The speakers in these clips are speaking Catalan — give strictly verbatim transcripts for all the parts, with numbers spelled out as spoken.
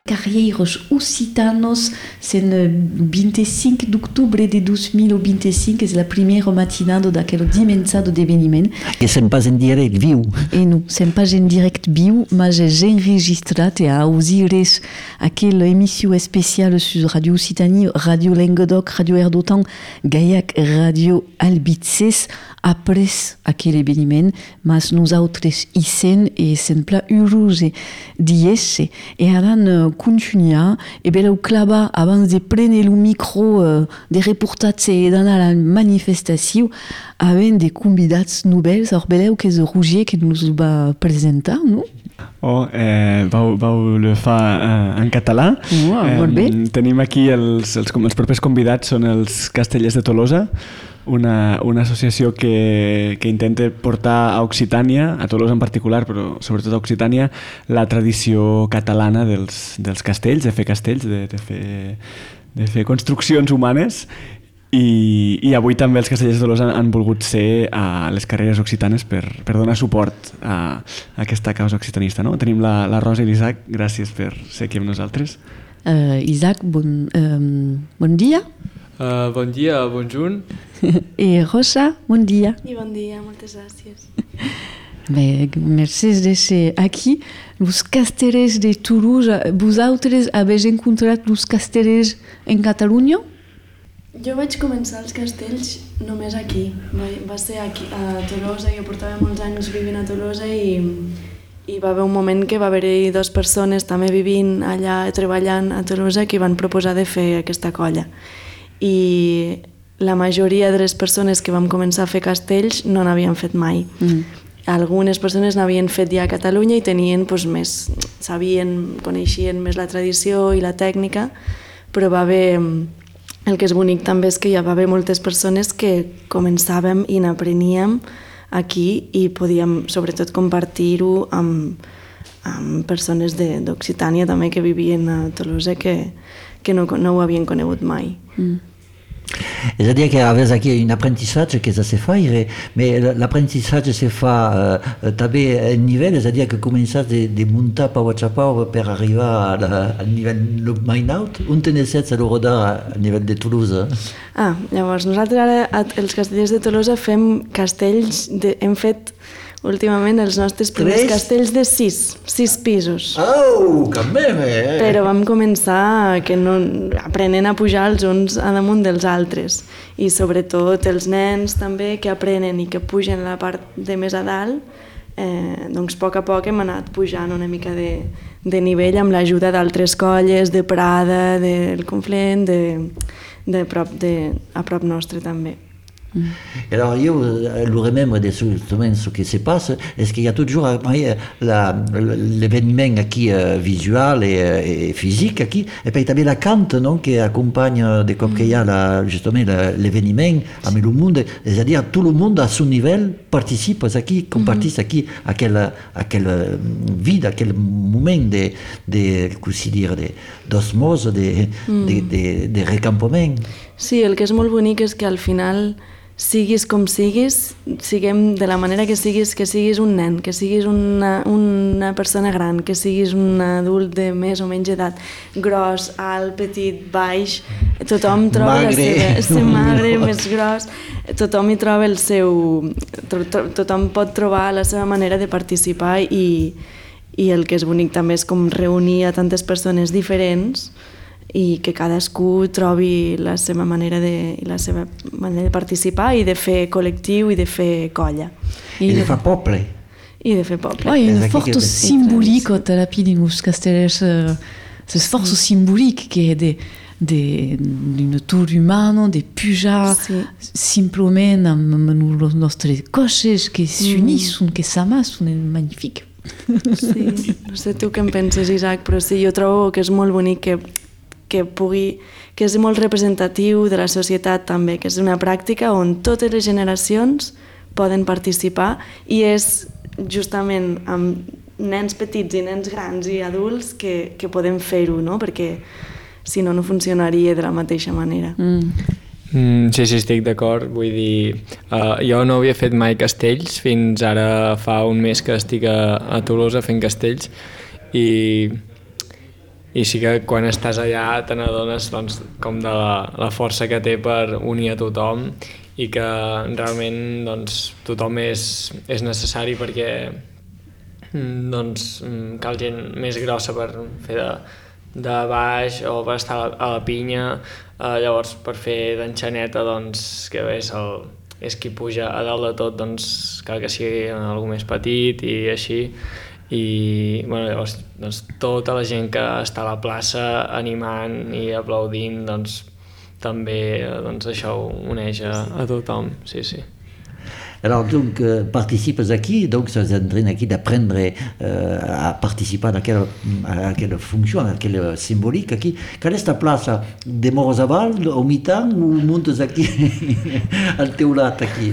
Carreiros Occitanos, c'est le vingt-cinc d'octubre de deux mille vingt-cinc, és la primera matinada d'aquell dimensat d'eveniment. Que sem pas en direct viu. E non, sem pas en direct viu, mas és enregistrat e auzires aquella emissió especial sur Radio Occitanie, Radio Languedoc, Radio Erdotan, Gaiac, Radio Albitzes, après aquell eveniment, mas nosaltres hi sen e sempre heureux d'y e ara continuar e beleu clavar abans de prendre el micro uh, de reportatge e d'anar a la manifestació havent de convidats nouvels. Alors beleu que és Roger que nos va presentar, no? Oh, eh, vau, vau le fa eh, en català. Oh, eh, molt bé. Tenim aquí els, els, els propers convidats, són els Castellers de Tolosa, una, una associació que, que intenta portar a Occitània, a Tolosa en particular, però sobretot a Occitània, la tradició catalana dels, dels castells, de fer castells, de, de, fer, de fer construccions humanes. I, i avui també els Castellers de Tolosa han volgut ser a les carreres occitanes per, per donar suport a, a aquesta causa occitanista. No? Tenim la, la Rosa i l'Isaac, gràcies per ser aquí amb nosaltres. Uh, Isaac, bon, um, bon dia. Uh, bon dia, bonjour. I Rosa, bon dia. I bon dia, moltes gràcies. Bé, merci de ser aquí. Els castellers de Toulouse, vosaltres habeu encontrat els castellers en Catalunya? Jo vaig començar els castells només aquí. Va, va ser aquí, a Tolosa. Jo portava molts anys vivint a Tolosa i, i va haver un moment que va haver-hi dues persones també vivint allà, treballant a Tolosa, que van proposar de fer aquesta colla. I la majoria de les persones que vam començar a fer castells no n'havien fet mai. Mm. Algunes persones n'havien fet ja a Catalunya i tenien doncs, més, sabien, coneixien més la tradició i la tècnica, però va haver... El que és bonic també és que hi va haver moltes persones que començàvem i n'apreníem aquí i podíem sobretot compartir-ho amb, amb persones d'Occitània també que vivien a Tolosa que, que no, no ho havien conegut mai. Mm. És a dir, que a vegades aquí un apprentissatge que se fa, mais l'apprentissatge se fa uh, també a nivell, és a dir, que començar de, de muntar pau a pau per arribar al nivell mai alt. On tenés a l'Eurodar a nivell de Toulouse? Ah, llavors, nosaltres ara, els castellers de Tolosa, fem castells, de, hem fet últimament els nostres primers Tres? castells de sis, sis pisos. Oh, que meme! Eh? Però vam començar que no, aprenent a pujar els uns a damunt dels altres. I sobretot els nens també que aprenen i que pugen la part de més a dalt, eh, doncs a poc a poc hem anat pujant una mica de, de nivell amb l'ajuda d'altres colles, de Prada, del Conflent, de, de prop de, a prop nostre també. Mm. Alors, je le remembre de ce, ce qui se passe, est-ce qu'il y a toujours l'événement qui est visuel et, et physique qui, et puis il y a la cante non, qui accompagne de comme qu'il y a justement l'événement avec le monde, c'est-à-dire tout le monde à son niveau participe à qui, compartisse à qui, à quel, à quel vide, à quel moment de, de, dire, d'osmose, de, mm. de, de, de recampament. Sí, el que és molt bonic és que al final siguis com siguis, siguem de la manera que siguis, que siguis un nen, que siguis una, una persona gran, que siguis un adult de més o menys edat, gros, alt, petit, baix, tothom troba magre. la seva... magre, no. més gros, tothom hi troba el seu... tothom pot trobar la seva manera de participar i, i el que és bonic també és com reunir a tantes persones diferents i que cadascú trobi la seva manera de, la seva manera de participar i de fer col·lectiu i de fer colla. I, I de fer poble. I de fer poble. Oh, il y a une forte symbolique au Talapidi nous castellers, c'est force symbolique qui est de d'une tour humana, de pujar sí. simplement amb els nostres cotxes que s'unissent, mm. que s'amassen, és magnífic. Sí, no sé tu què en penses, Isaac, però sí, jo trobo que és molt bonic que que pugui, que és molt representatiu de la societat també, que és una pràctica on totes les generacions poden participar i és justament amb nens petits i nens grans i adults que, que podem fer-ho, no? Perquè si no, no funcionaria de la mateixa manera. Mm. Mm, sí, sí, estic d'acord. Vull dir, uh, jo no havia fet mai castells, fins ara fa un mes que estic a, a Tolosa fent castells i i sí que quan estàs allà te n'adones doncs, com de la, la força que té per unir a tothom i que realment doncs, tothom és, és necessari perquè doncs, cal gent més grossa per fer de, de baix o per estar a la, a la pinya, eh, llavors per fer d'enxaneta doncs, que és, el, és qui puja a dalt de tot, doncs cal que sigui algú més petit i així. I bueno, llavors doncs, tota la gent que està a la plaça animant i aplaudint doncs, també doncs, això ho uneix a, a tothom, sí, sí. Alors, donc, euh, participes aquí, donc ça vous entraîne aquí d'apprendre euh, à participer à quelle, à quelle fonction, à quelle symbolique aquí. Quelle est ta place? Demores a Val, au mitan, ou montes aquí al teulat aquí?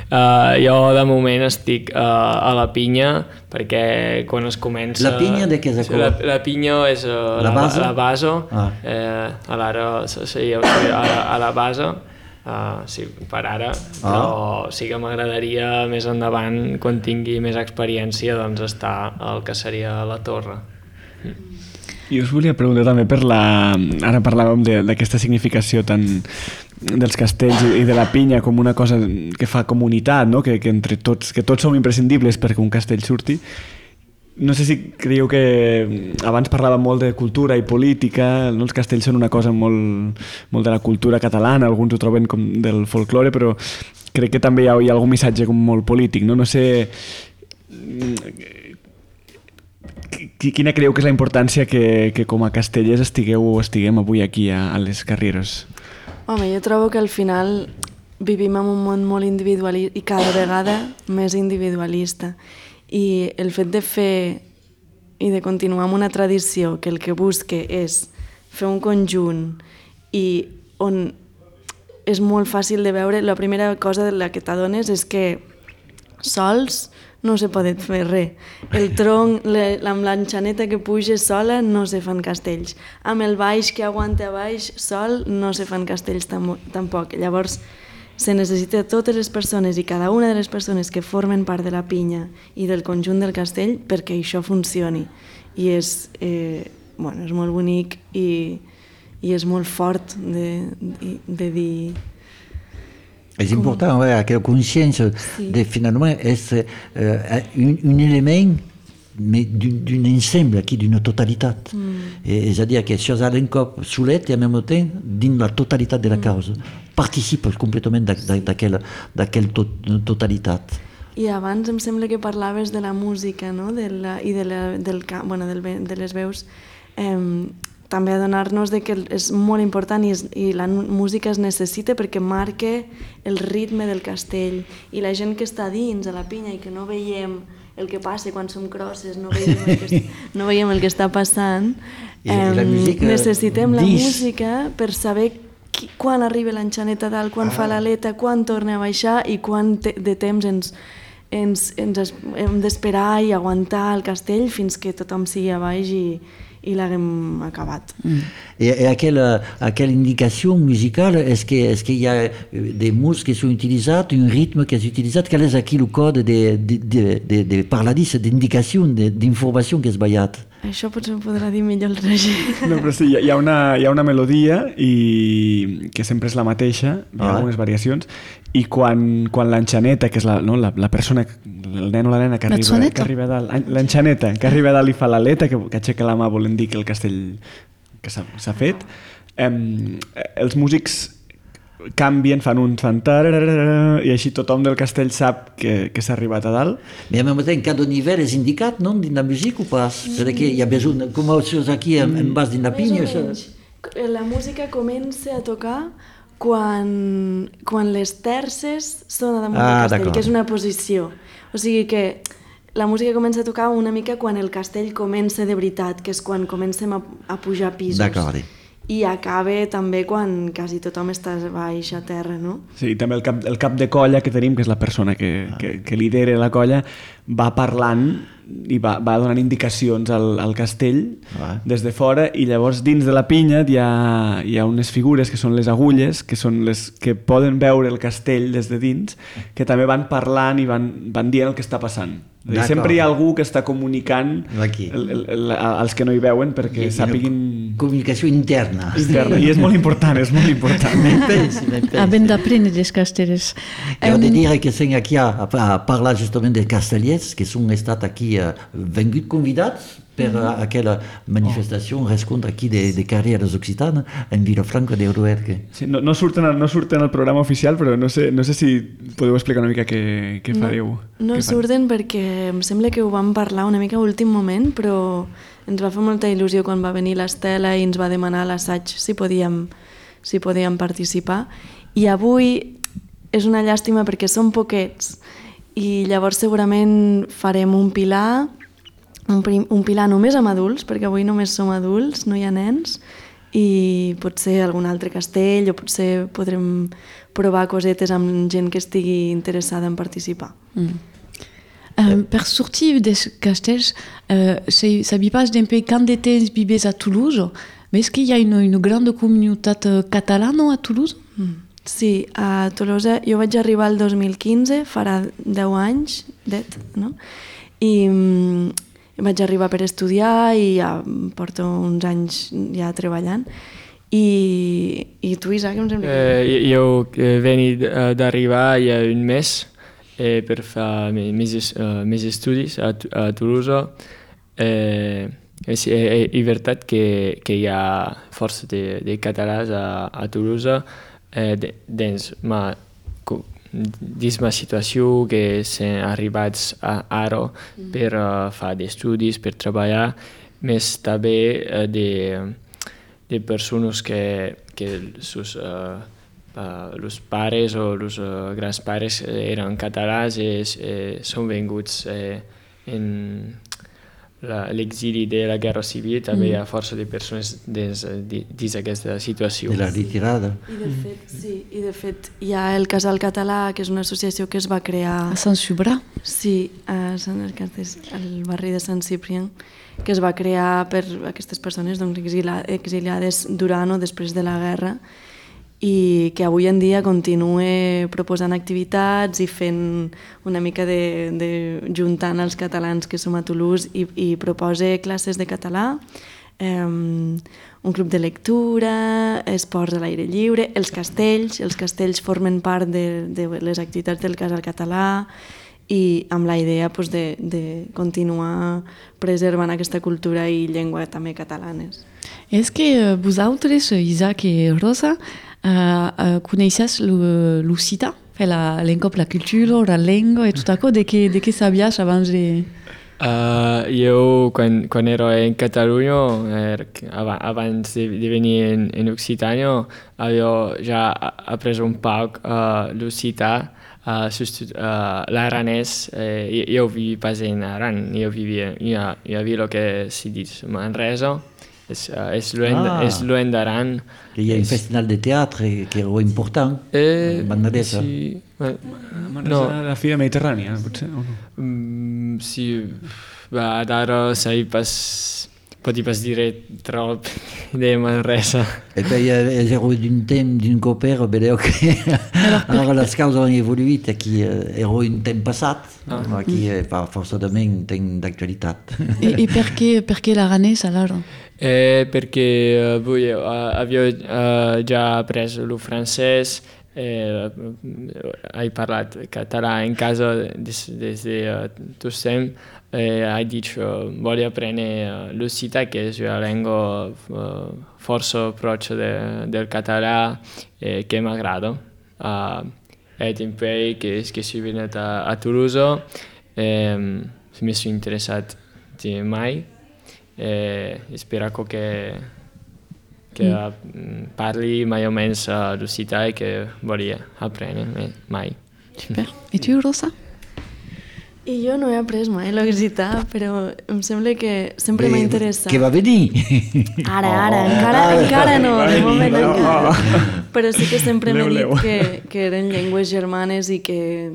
Uh, jo de moment estic uh, a la pinya perquè quan es comença... La pinya de què és la, la pinya és uh, la, base? la, la base, ah. eh, a l'ara sí, jo soy a, a la base, uh, sí, per ara, ah. però sí que m'agradaria més endavant, quan tingui més experiència, doncs estar al que seria la torre. I us volia preguntar també per la... Ara parlàvem d'aquesta significació tan dels castells i de la pinya com una cosa que fa comunitat, no? que, que entre tots, que tots som imprescindibles perquè un castell surti. No sé si creieu que abans parlàvem molt de cultura i política, no? Els castells són una cosa molt, molt de la cultura catalana, alguns ho troben com del folklore, però crec que també hi ha, hi ha algun missatge com molt polític, no? No sé... Quina creieu que és la importància que, que com a castellers estigueu o estiguem avui aquí a, a les Carrieres? Home, jo trobo que al final vivim en un món molt individualista i cada vegada més individualista. I el fet de fer i de continuar amb una tradició que el que busque és fer un conjunt i on és molt fàcil de veure, la primera cosa de la que t'adones és que sols no se pot fer res. El tronc, le, amb l'enxaneta que puja sola no se fan castells. Amb el baix que aguanta baix sol no se fan castells tam tampoc. Llavors se necessita totes les persones i cada una de les persones que formen part de la pinya i del conjunt del castell perquè això funcioni. I és, eh, bueno, és molt bonic i, i és molt fort de, de, de dir... C'est important, ouais, quelle conscience si. de finalement est euh, un, un élément mais d'un ensemble qui d'une totalité. Mm. Et c'est-à-dire que chose à l'encop soulette et en même temps dans la totalité de la cause. Mm. Participe complètement d'aquella to totalitat. I abans em sembla que parlaves de la música, no? de la, i de, la, del, bueno, del, de les veus. Eh, també adonar-nos de que és molt important i, és, i la música es necessita perquè marca el ritme del castell i la gent que està dins a la pinya i que no veiem el que passa quan som crosses, no veiem el que, no veiem el que està passant, eh, la necessitem la música per saber qui, quan arriba l'enxaneta dalt, quan ah. fa l'aleta, quan torna a baixar i quan te, de temps ens, ens, ens hem d'esperar i aguantar el castell fins que tothom sigui a baix i i l'haguem acabat. Mm. Et, et à, quelle, à quelle indication musicale est-ce qu'il est qu'il y a des mots qui sont utilisés, un rythme qui est utilisé? Quel est aquí le code de, de, de, de, de parladis, d'indicació, d'informació que és ballat? Això potser ho podrà dir millor el Roger. No, però sí, hi ha una, hi ha una melodia i que sempre és la mateixa, hi ha ah. algunes variacions, i quan, quan l'enxaneta, que és la, no, la, la persona, el nen o la nena que arriba, que arriba a dalt, l'enxaneta que arriba a dalt i fa l'aleta, que, que aixeca la mà volent dir que el castell que s'ha fet, eh, els músics canvien, fan un fan i així tothom del castell sap que, que s'ha arribat a dalt. Mais en même temps, cada nivell és indicat, non, dins la música o pas? Mm. Perquè hi ha besoin, com els aquí en, en bas dins la pinya. La música comença a tocar quan, quan les terces són damunt ah, del castell, que és una posició. O sigui que la música comença a tocar una mica quan el castell comença de veritat, que és quan comencem a, a pujar pisos. D'acord. I acaba també quan quasi tothom està baix a terra, no? Sí, i també el cap, el cap de colla que tenim, que és la persona que, que, que lidera la colla, va parlant i va, va donant indicacions al, al castell Ah. des de fora, i llavors dins de la pinya hi ha, hi ha unes figures que són les agulles, que són les que poden veure el castell des de dins, que també van parlant i van, van dient el que està passant. Dir, sempre hi ha algú que està comunicant Aquí. el, el, el, als que no hi veuen perquè I- i sàpiguin... Comunicació interna. interna. I és molt important, és molt important. Ben pensi, ben pensi. Havent d'aprendre dels castellers. Io de dire che siamo qui a, a parlare giustamente dei castellers che sono stati qui uh, venuti convidati per uh, aquella manifestazione, rescontra qui de, de carreres occitanes in Vilafranca de Ruerque. Sí, no, no, surten, al- no surten al programa oficial, però no sé, no sé si podeu explicar una mica què, què fareu. No Què fan? surten perquè em sembla que ho vam parlar una mica a últim moment, però ens va fer molta il·lusió quan va venir l'Estela i ens va demanar a l'assaig si podíem, si podíem participar. I avui és una llàstima perquè som poquets i llavors segurament farem un pilar, un, prim, un pilar només amb adults, perquè avui només som adults, no hi ha nens, i potser algun altre castell o potser podrem provar cosetes amb gent que estigui interessada en participar. Mm. Euh, per sortir des castells, euh, c'est- sabia pas d'un peu quand de temps vives à Toulouse, mais est-ce qu'il y a une, une grande communauté catalane à Toulouse? Sí, a Tolosa jo vaig arribar el dos mil quinze, farà deu anys, det, no? I mm, vaig arribar per estudiar i ja porto uns anys ja treballant. I, i tu, Isaac, em sembla que... Eh, jo eh, veni eh, d'arribar hi ha un mes eh, per fer me- mes, es- eh, mes estudis a, Tu- a Toulouse. Eh, és, eh, és veritat que, que hi ha força de, de catalans a, a Toulouse eh, de, dins ma, co- dins ma situació que s'han arribats a, ara per uh, fer estudis, per treballar, més també eh, de de persones que, que sus, uh, uh, los pares o los uh, grans pares eren catalans i eh, són venguts eh, en la- l'exili de la guerra civil. També hi ha força de persones dins, dins aquesta situació. De la ritirada. I de fet, sí, i de fet hi ha el Casal Català, que és una associació que es va crear... À Saint-Subra. Sí, a Sant Arcades, al barri de Sant Ciprian, que es va crear per aquestes persones doncs, exila, exiliades durant o després de la guerra i que avui en dia continua proposant activitats i fent una mica de, de juntant els catalans que som a Toulouse i, i proposa classes de català, eh, un club de lectura, esports a l'aire lliure, els castells, els castells formen part de, de les activitats del Casal Català i amb la idea pues, de, de continuar preservant aquesta cultura i llengua també catalanes. Est-ce que euh, vosaltres, Isaac i Rosa, uh, uh, coneixes l'occità? La, l'encop, la cultura, la llengua i tot això, de què, de què sabies abans de... Uh, jo, quan, quan ero en Catalunya, er, ab- abans de, de venir en, en Occitània, havia ja après un poc uh, l'occità, uh, uh, l'aranès. Uh, jo vivi pas en Aran, jo vivia a, a Vila que si dit Manresa, és, uh, és lluny Ah. és lluny d'Aran. Il y a un festival de théâtre qui est important. Eh, Manresa. sí, eh, No. no. La fira mediterrània, potser, o no? Mm, sí, va, d'ara sai pas, pot pas dire trop de Manresa. Et puis, il y a un thème d'un copain, vedeu que alors les causes han evoluït, aquí era un temps passat, aquí fa forçadament temps d'actualitat. I, i per què, per què l'aranès, alors? Eh, perché eh, voi eh, avevo eh, già preso il francese, eh, hai parlato català in casa des, des de uh, tu sem, eh, hai detto voglio apprendere uh, l'occità che è una lingua uh, forse approccio de, del català eh, che mi aggrada. Uh, è tempo che, che sono venuto a, a Toulouse, eh, mi sono interessato di mai. E spero che, che mm. parli mai o meno l'occità e che voglio apprendere mai. Super. I tu, Rosa? I jo no he après mai l'occità, però em sembla que sempre m'ha interessat. Que va venir! Ara, ara, Oh. encara, encara no, de moment no. encara. Però sí que sempre m'he Leu, leu. dit que, que eren llengües germanes i que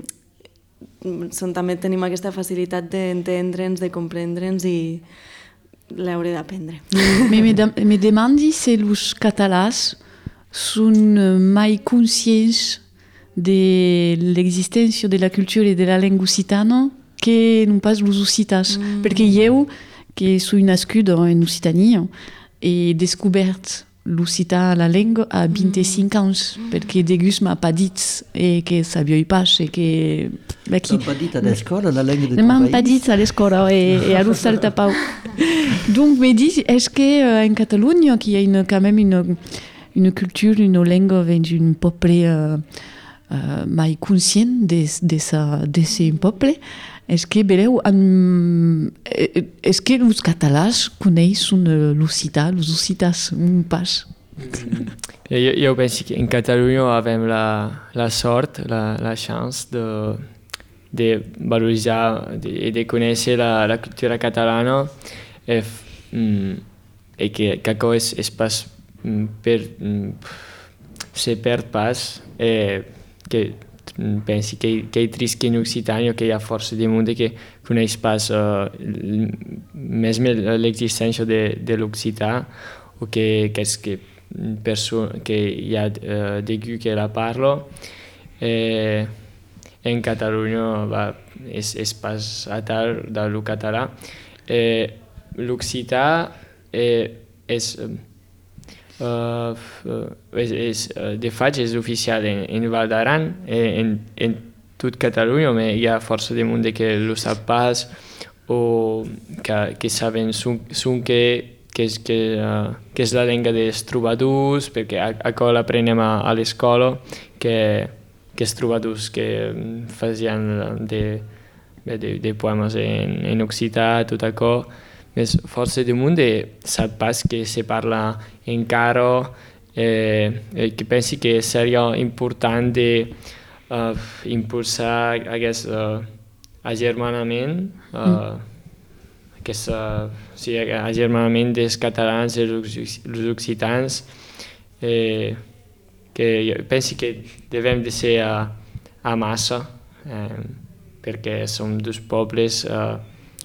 són, també tenim aquesta facilitat d'entendre'ns, de comprendre'ns i l'hauré d'aprendre. Mais me, de, me demandi si els catalans són mai conscients de l'existència de la cultura i de la llengua occitana que non pas els occitans. Mm. Perquè jo, que soy nascut en Occitania, he descobert l'occità, la llengua, a vint-i-cinc anys, mm. perquè Degus m'ha pas dit eh, que sabia pas e que... T'han pas dit a l'escola la llengua de ton país? M'han pas dit a l'escola e, e a l'Ostaltapau. Donc me dit, est-ce qu'en Catalunya, qui a une, quand même une, une culture, une langue d'un peuple euh, euh, mai conscient de, de, sa, de ce peuple, est-ce que, beleu, en, est-ce que els catalans coneixen l'occità, els occitats, un pas? Jo, jo penso que en Catalunya avem la, la sort, la, la chance de, de valoritzar i de, de conèixer la, la cultura catalana i, i que, que això és, és pas per se perd pas eh, que pensi que, que és trist que en Occitània que hi ha força de món que coneix pas uh, més l'existència de, de l'occità o que, que és que, que hi ha uh, d'algú que la parla. Eh, en Catalunya va, és, és pas a tal de lo català. Eh, l'occità eh, és... Uh, és, és, de fet, és oficial en, en Val d'Aran, en, en tot Catalunya, però hi ha força de gent que no sap pas o que, que saben son, son que, que, és, que, uh, que és la llengua dels trobadors, perquè això l'aprenem a, a l'escola, que, que els trobadors que feien de, de, de poemes en, en occità, tot això. Més força de món sap pas que se parla encara eh, que pensi que seria important de uh, impulsar aquest uh, agermanament uh, mm. aquest uh, sí, agermanament dels catalans i els occitans eh, que jo penso que devem de ser a, a massa eh, perquè som dos pobles uh,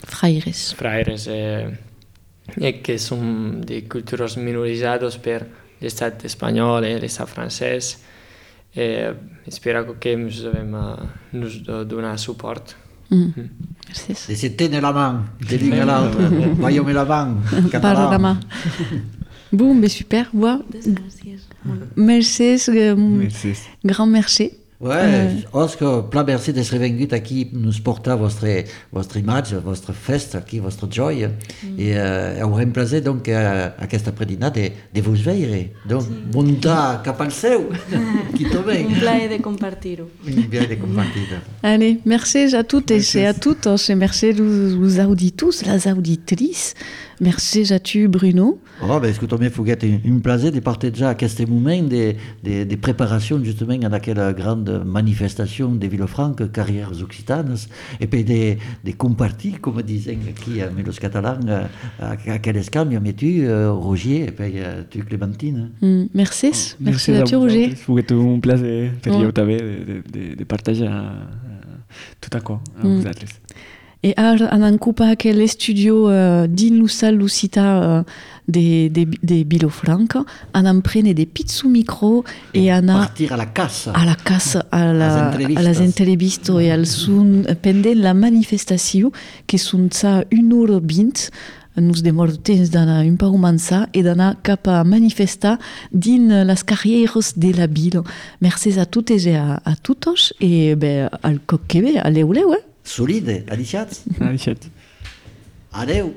Fraires. Fraires, eh, eh, que són de cultures minoritzades per l'estat espanyol i eh, l'estat francès. Eh, espero que ens devem uh, nos donar suport. Mm. Mm. Merci. Et se tiene la main, de l'un à l'autre. Voyons la main, català. la main. Bon, mais super. Ouais. Merci. Merci. Grand merci. Ouais, euh... Oscar, pla merci d'être vengut aquí nous portar votre, votre imatge, votre festa aquí, votre joia. Mm. I uh, haurem plaser donc uh, aquesta predina de, de vos veure. Donc, sí. Muntar cap al seu, qui tombe. Un plaer de compartir-ho. Un plaer de compartir-ho. Allez, merci à toutes merci. Et à toutes. Merci aux auditeurs, les auditrices. Merci à tu, Bruno. Oh, ben, escolta'm, Foguet, un, un plaisir de partager aquest moment de, de, de preparació justament en aquella grande manifestation de Vilafranca, carrières occitanes, et puis de, de compartir, comme disaient aquí amb els catalans, aquell escamp, amb tu, Roger, et puis tu, Clémentine. Mm, merci, oh, merci, merci a tu, Roger. Foguet, un plaisir per oh. jo també de, de, de partager uh, tot això amb mm. vosaltres. Et ara anem cap a aquell studio uh, dins la salle l'occità uh, de, de, de Vilafranca, anem prendre des petits micros et anem partir a la casa, a la casa, a, la, a les entrevistes et al son pendant la manifestation que són ça une heure vint. Nous demor temps d'anar un peu romançar et d'anar cap a manifestar dins les carrieres de la ville. Merci a totes et a, a totes et ben, al cop que ve, aleu, leu, eh? Solide, alixats. Alixats. Adeu.